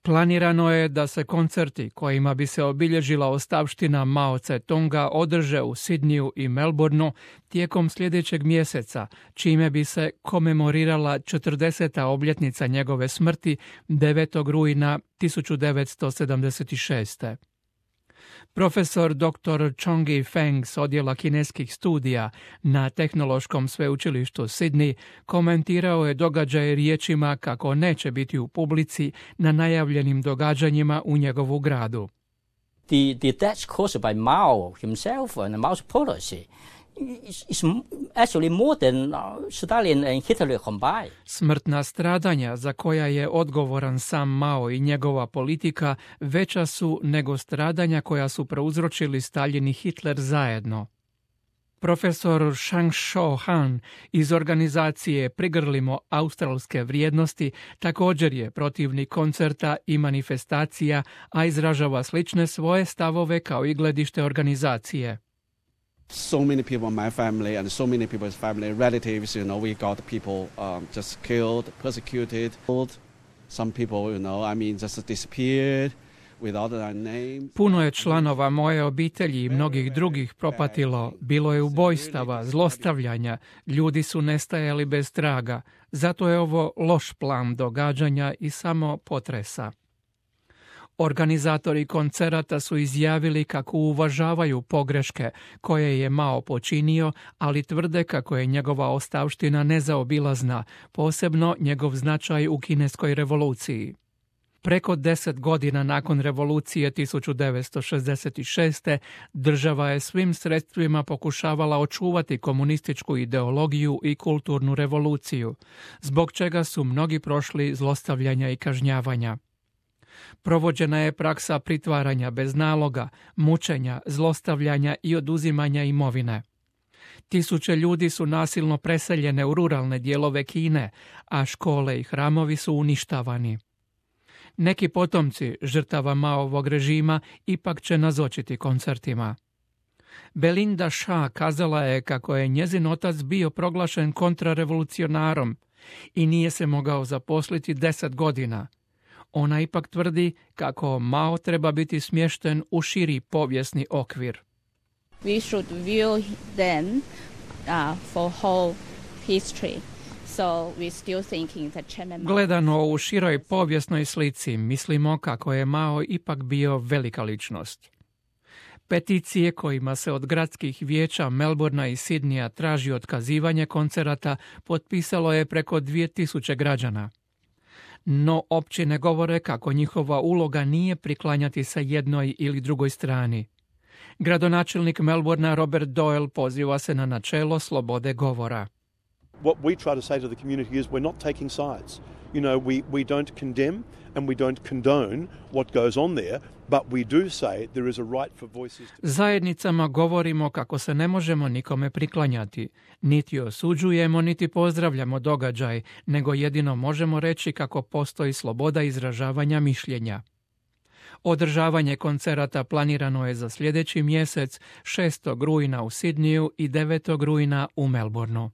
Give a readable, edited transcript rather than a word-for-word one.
Planirano je da se koncerti kojima bi se obilježila ostavština Mao Tse-tunga održe u Sidniju i Melbourneu tijekom sljedećeg mjeseca, čime bi se komemorirala 40. obljetnica njegove smrti 9. rujna 1976. Profesor dr. Chong-Yi Feng s odjela kineskih studija na Tehnološkom sveučilištu Sydney komentirao je događaje riječima kako neće biti u publici na najavljenim događanjima u njegovu gradu. The deaths caused by Mao himself and Mao's policy is actually more than Stalin and Hitler combined. Smrtna stradanja za koja je odgovoran sam Mao i njegova politika veća su nego stradanja koja su prouzročili Stalin i Hitler zajedno. Profesor Shang Shou Han iz organizacije Prigrlimo australske vrijednosti također je protivnik koncerta i manifestacija, a izražava slične svoje stavove kao i gledište organizacije. So many people in my family and so many people's family relatives, we got people just killed, persecuted. Some people, just disappeared without their names. Puno je članova moje obitelji i mnogih drugih propatilo. Bilo je ubojstava, zlostavljanja, ljudi su nestajali bez traga. Zato je ovo loš plan događanja i samo potresa. Organizatori koncerata su izjavili kako uvažavaju pogreške koje je Mao počinio, ali tvrde kako je njegova ostavština nezaobilazna, posebno njegov značaj u kineskoj revoluciji. Preko 10 godina nakon revolucije 1966. država je svim sredstvima pokušavala očuvati komunističku ideologiju i kulturnu revoluciju, zbog čega su mnogi prošli zlostavljanja i kažnjavanja. Provođena je praksa pritvaranja bez naloga, mučenja, zlostavljanja i oduzimanja imovine. Tisuće ljudi su nasilno preseljene u ruralne dijelove Kine, a škole i hramovi su uništavani. Neki potomci žrtava Maovog režima ipak će nazočiti koncertima. Belinda Shaw kazala je kako je njezin otac bio proglašen kontrarevolucionarom i nije se mogao zaposliti 10 godina. Ona ipak tvrdi kako Mao treba biti smješten u širi povijesni okvir. We should view them for whole history. So we still thinking that Chairman Mao... Gledano u široj povijesnoj slici, mislimo kako je Mao ipak bio velika ličnost. Peticije kojima se od gradskih vijeća Melbournea i Sidneya traži otkazivanje koncerata potpisalo je preko 2000 građana. No općine govore kako njihova uloga nije priklanjati se jednoj ili drugoj strani. Gradonačelnik Melbournea Robert Doyle poziva se na načelo slobode govora. What we try to say to the community is we're not taking sides. We don't condemn and we don't condone what goes on there, but we do say there is a right for voices. Zajednicama govorimo kako se ne možemo nikome priklanjati. Niti osuđujemo, niti pozdravljamo događaj, nego jedino možemo reći kako postoji sloboda izražavanja mišljenja. Održavanje koncerata planirano je za sljedeći mjesec, 6. rujna u Sidneyu i 9. rujna u Melbourneu.